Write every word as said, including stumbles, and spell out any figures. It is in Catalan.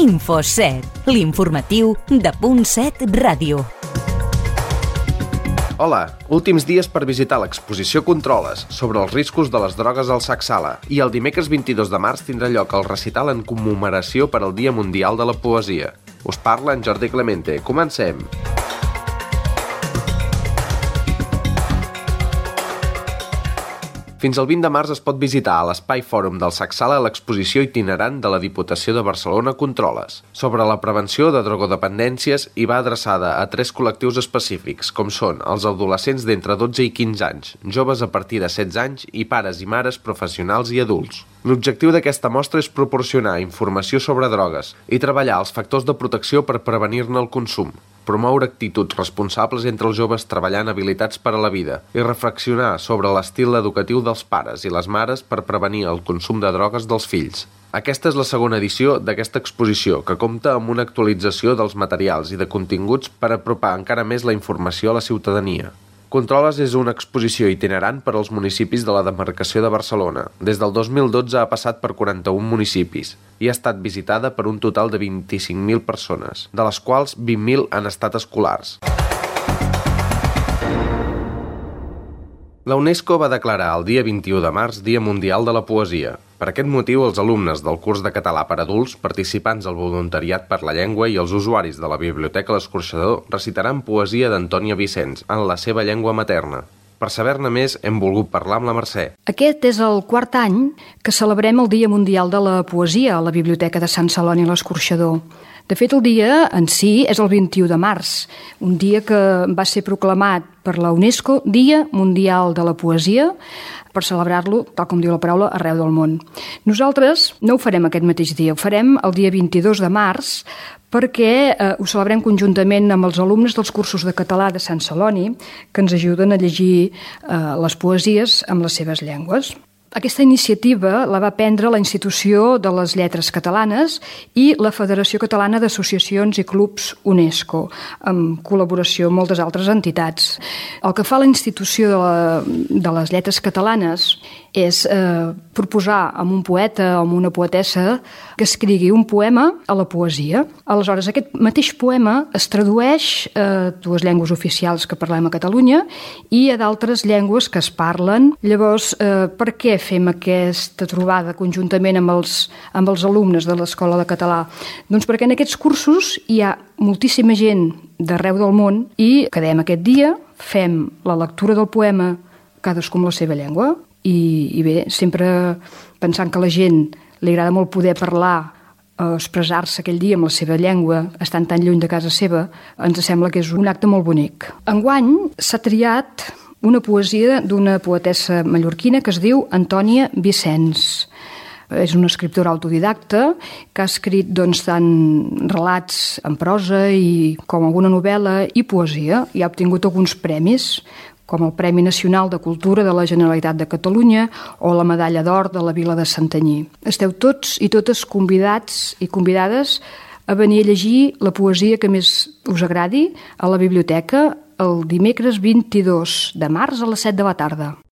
Infoset, l'informatiu de Punt set Ràdio. Hola, últims dies per visitar l'exposició Controles sobre els riscos de les drogues al Sac Sala i el dimecres vint-i-dos de març tindrà lloc el recital en commemoració per al Dia Mundial de la Poesia. Us parla en Jordi Clemente. Comencem! Fins al vint de març es pot visitar a l'Espai Fòrum del Sac Sala l'exposició itinerant de la Diputació de Barcelona Controles sobre la prevenció de drogodependències i va adreçada a tres col·lectius específics, com són els adolescents d'entre dotze i quinze anys, joves a partir de setze anys i pares i mares professionals i adults. L'objectiu d'aquesta mostra és proporcionar informació sobre drogues i treballar els factors de protecció per prevenir-ne el consum, promoure actituds responsables entre els joves treballant habilitats per a la vida i reflexionar sobre l'estil educatiu dels pares i les mares per prevenir el consum de drogues dels fills. Aquesta és la segona edició d'aquesta exposició, que compta amb una actualització dels materials i de continguts per apropar encara més la informació a la ciutadania. Controles és una exposició itinerant per als municipis de la demarcació de Barcelona. Des del dos mil dotze ha passat per quaranta-un municipis i ha estat visitada per un total de vint-i-cinc mil persones, de les quals vint mil han estat escolars. La UNESCO va declarar el dia vint-i-u de març Dia Mundial de la Poesia. Per aquest motiu, els alumnes del curs de català per adults, participants al voluntariat per la llengua i els usuaris de la Biblioteca L'Escorxador recitaran poesia d'Antònia Vicens en la seva llengua materna. Per saber-ne més, hem volgut parlar amb la Mercè. Aquest és el quart any que celebrem el Dia Mundial de la Poesia a la Biblioteca de Sant Celoni L'Escorxador. De fet, el dia en si és el vint-i-u de març, un dia que va ser proclamat per la UNESCO Dia Mundial de la Poesia, per celebrar-lo, tal com diu la paraula, arreu del món. Nosaltres no ho farem aquest mateix dia, ho farem el dia vint-i-dos de març, perquè eh, ho celebrem conjuntament amb els alumnes dels cursos de català de Sant Celoni, que ens ajuden a llegir eh, les poesies amb les seves llengües. Aquesta iniciativa la va prendre la Institució de les Lletres Catalanes i la Federació Catalana d'Associacions i Clubs UNESCO, en col·laboració amb moltes altres entitats. El que fa la Institució de, la, de les Lletres Catalanes és eh, proposar a un poeta o a una poetessa que escrigui un poema a la poesia. Aleshores, aquest mateix poema es tradueix a dues llengües oficials que parlem a Catalunya i a d'altres llengües que es parlen. Llavors, eh, per què fem aquesta trobada conjuntament amb els, amb els alumnes de l'Escola de Català? Doncs perquè en aquests cursos hi ha moltíssima gent d'arreu del món i quedem aquest dia, fem la lectura del poema cadascú amb la seva llengua i, i bé, sempre pensant que a la gent li agrada molt poder parlar o expressar-se aquell dia amb la seva llengua, estant tan lluny de casa seva, ens sembla que és un acte molt bonic. Enguany s'ha triat una poesia d'una poetessa mallorquina que es diu Antònia Vicens. És una escriptora autodidacta que ha escrit doncs, tant relats en prosa i com alguna novel·la i poesia i ha obtingut alguns premis, com el Premi Nacional de Cultura de la Generalitat de Catalunya o la Medalla d'Or de la Vila de Santanyí. Esteu tots i totes convidats i convidades a venir a llegir la poesia que més us agradi a la biblioteca el dimecres vint-i-dos de març a les set de la tarda.